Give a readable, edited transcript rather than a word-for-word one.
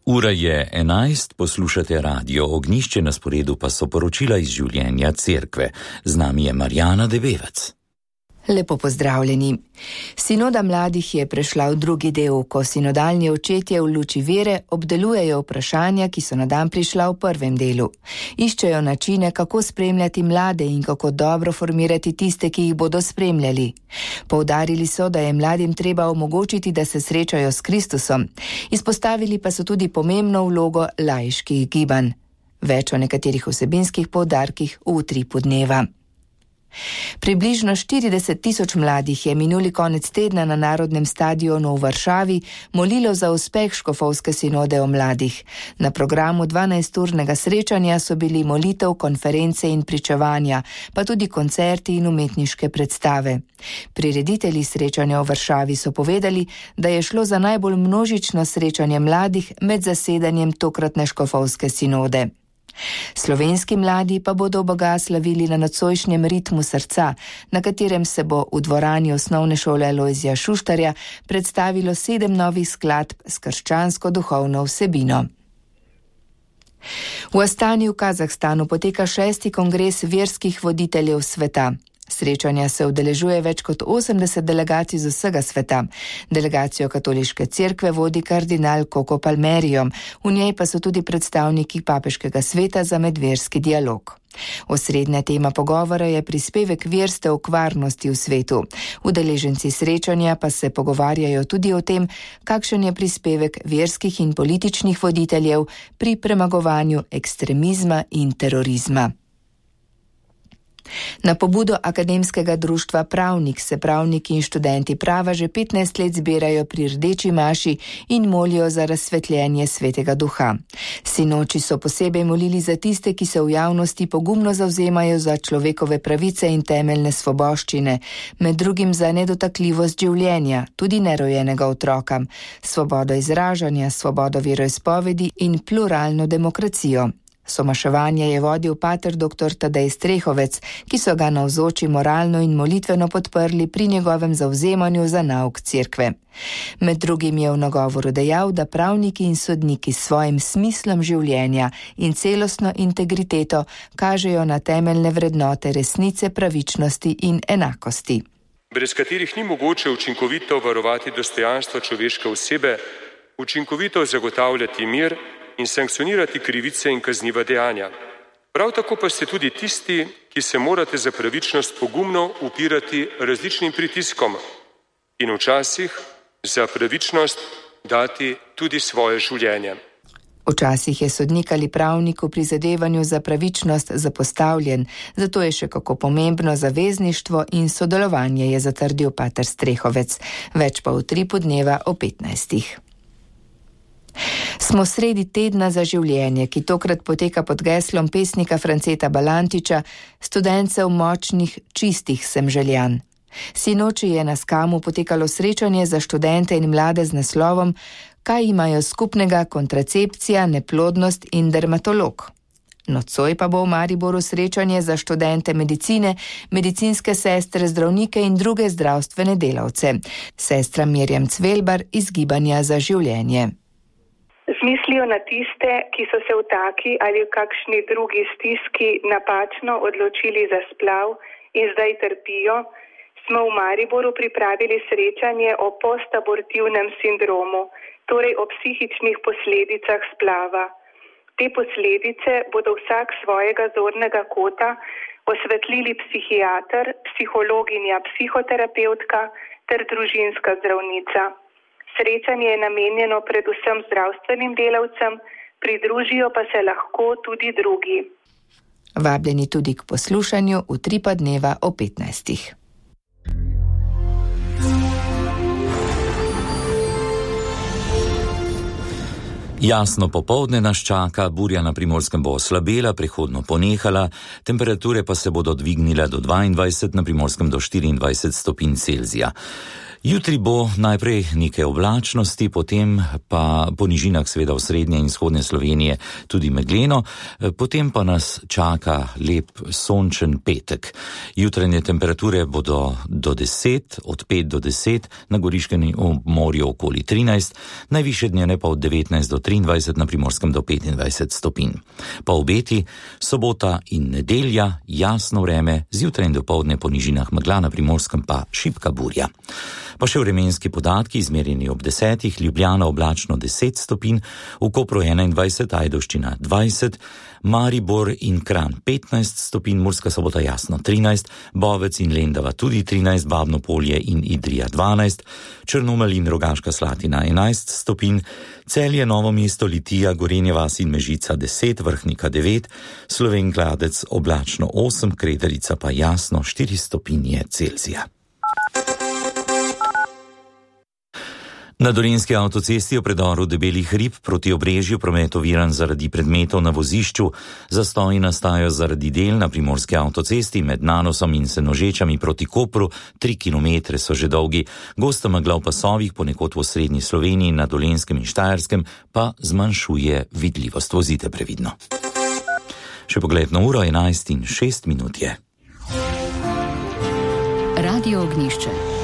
Ura je 11, poslušate Radio Ognjišče, na sporedu pa so poročila iz življenja cerkve. Z nami je Marjana Debevec. Lepo pozdravljeni. Sinoda mladih je prešla v drugi del, ko sinodalni očetje v luči vere obdelujejo vprašanja, ki so na dan prišla v prvem delu. Iščejo načine, kako spremljati mlade in kako dobro formirati tiste, ki jih bodo spremljali. Poudarili so, da je mladim treba omogočiti, da se srečajo s Kristusom. Izpostavili pa so tudi pomembno vlogo laiških gibanj. Več o nekaterih vsebinskih poudarkih v utripu dneva. Približno 40.000 mladih je minuli konec tedna na Narodnem stadionu v Varšavi molilo za uspeh škofovske sinode o mladih. Na programu 12-urnega srečanja so bili molitev, konference in pričevanja, pa tudi koncerti in umetniške predstave. Prireditelji srečanja v Varšavi so povedali, da je šlo za najbolj množično srečanje mladih med zasedanjem tokratne škofovske sinode. Slovenski mladi pa bodo Boga slavili na nocojšnjem ritmu srca, na katerem se bo v dvorani osnovne šole Lojzija Šuštarja predstavilo 7 novih skladb s krščansko duhovno vsebino. V Astani v Kazahstanu poteka 6. kongres verskih voditeljev sveta. Srečanja se udeležuje več kot 80 delegacij z vsega sveta. Delegacijo katoliške cerkve vodi kardinal Koko Palmerijo, v njej pa so tudi predstavniki papeškega sveta za medverski dialog. Osrednja tema pogovora je prispevek verstev k varnosti v svetu. Udeleženci srečanja pa se pogovarjajo tudi o tem, kakšen je prispevek verskih in političnih voditeljev pri premagovanju ekstremizma in terorizma. Na pobudo akademskega društva Pravnik se pravniki in študenti prava že 15 let zbirajo pri Rdeči maši in molijo za razsvetljenje Svetega Duha. Sinoči so posebej molili za tiste, ki se v javnosti pogumno zavzemajo za človekove pravice in temeljne svoboščine, med drugim za nedotakljivost življenja, tudi nerojenega otroka, svobodo izražanja, svobodo veroizpovedi in pluralno demokracijo. Somaševanje je vodil pater dr. Tadej Strehovec, ki so ga navzoči moralno in molitveno podprli pri njegovem zavzemanju za nauk cerkve. Med drugim je v nagovoru dejal, da pravniki in sodniki s svojim smislom življenja in celostno integriteto kažejo na temeljne vrednote resnice, pravičnosti in enakosti. Brez katerih ni mogoče učinkovito varovati dostojanstva človeške osebe, učinkovito zagotavljati mir in sankcionirati krivice in kazniva dejanja. Prav tako pa ste tudi tisti, ki se morate za pravičnost pogumno upirati različnim pritiskom in včasih za pravičnost dati tudi svoje življenje. Včasih je sodnik ali pravnik v prizadevanju za pravičnost zapostavljen, zato je še kako pomembno zavezništvo in sodelovanje, je zatrdil pater Strehovec. Več pa v utripu dneva o 15. Smo sredi tedna za življenje, ki tokrat poteka pod geslom pesnika Franceta Balantiča, Studencev močnih, čistih sem željan. Sinoči je na Skamu potekalo srečanje za študente in mlade z naslovom Kaj imajo skupnega kontracepcija, neplodnost in dermatolog. Nocoj pa bo v Mariboru srečanje za študente medicine, medicinske sestre, zdravnike in druge zdravstvene delavce. Sestra Mirjam Cvelbar iz Gibanja za življenje. Z mislijo na tiste, ki so se v taki ali v kakšni drugi stiski napačno odločili za splav in zdaj trpijo, smo v Mariboru pripravili srečanje o postabortivnem sindromu, torej o psihičnih posledicah splava. Te posledice bodo vsak svojega zornega kota osvetlili psihiater, psihologinja, psihoterapevtka ter družinska zdravnica. Srečanje je namenjeno predvsem zdravstvenim delavcem, pridružijo pa se lahko tudi drugi. Vabljeni tudi k poslušanju utripa dneva o 15. Jasno popoldne nas čaka, burja na Primorskem bo oslabela, prehodno ponehala, temperature pa se bodo dvignile do 22, na Primorskem do 24 stopinj Celzija. Jutri bo najprej nekaj oblačnosti, potem pa po nižinah seveda v srednje in vzhodne Slovenije tudi megleno, potem pa nas čaka lep sončen petek. Jutranje temperature bodo do 10, od 5 do 10, na Goriškem morju okoli 13, najvišje dnevne pa od 19 do 23, na Primorskem do 25 stopinj. Po obeti sobota in nedelja jasno vreme, zjutraj in dopoldne po nižinah megla, na Primorskem pa šibka burja. Pa še vremenski podatki, izmerjeni ob 10, Ljubljana oblačno 10 stopinj, v Kopru 21, Ajdovščina 20, Maribor in Kranj 15 stopinj, Murska Sobota jasno 13, Bovec in Lendava tudi 13, Babno Polje in Idrija 12, Črnomelj in Rogaška Slatina 11 stopinj, Celje, Novo mesto, Litija, Gorenje vas in Mežica 10, Vrhnika 9, Slovenj Gradec oblačno 8, Krederica pa jasno 4 stopinje Celzija. Na Dolenjski avtocesti v predoru Debelih hrib proti Obrežju promet oviran zaradi predmetov na vozišču. Zastoji nastajajo zaradi del na Primorski avtocesti med Nanosom in Senožečami proti Kopru, 3 kilometre so že dolgi. Gosta megla v pasovih ponekod v osrednji Sloveniji, na Dolenjskem in Štajerskem pa zmanjšuje vidljivost. Vozite previdno. Še pogled na uro, 11:06 je. Radio Ognjišče.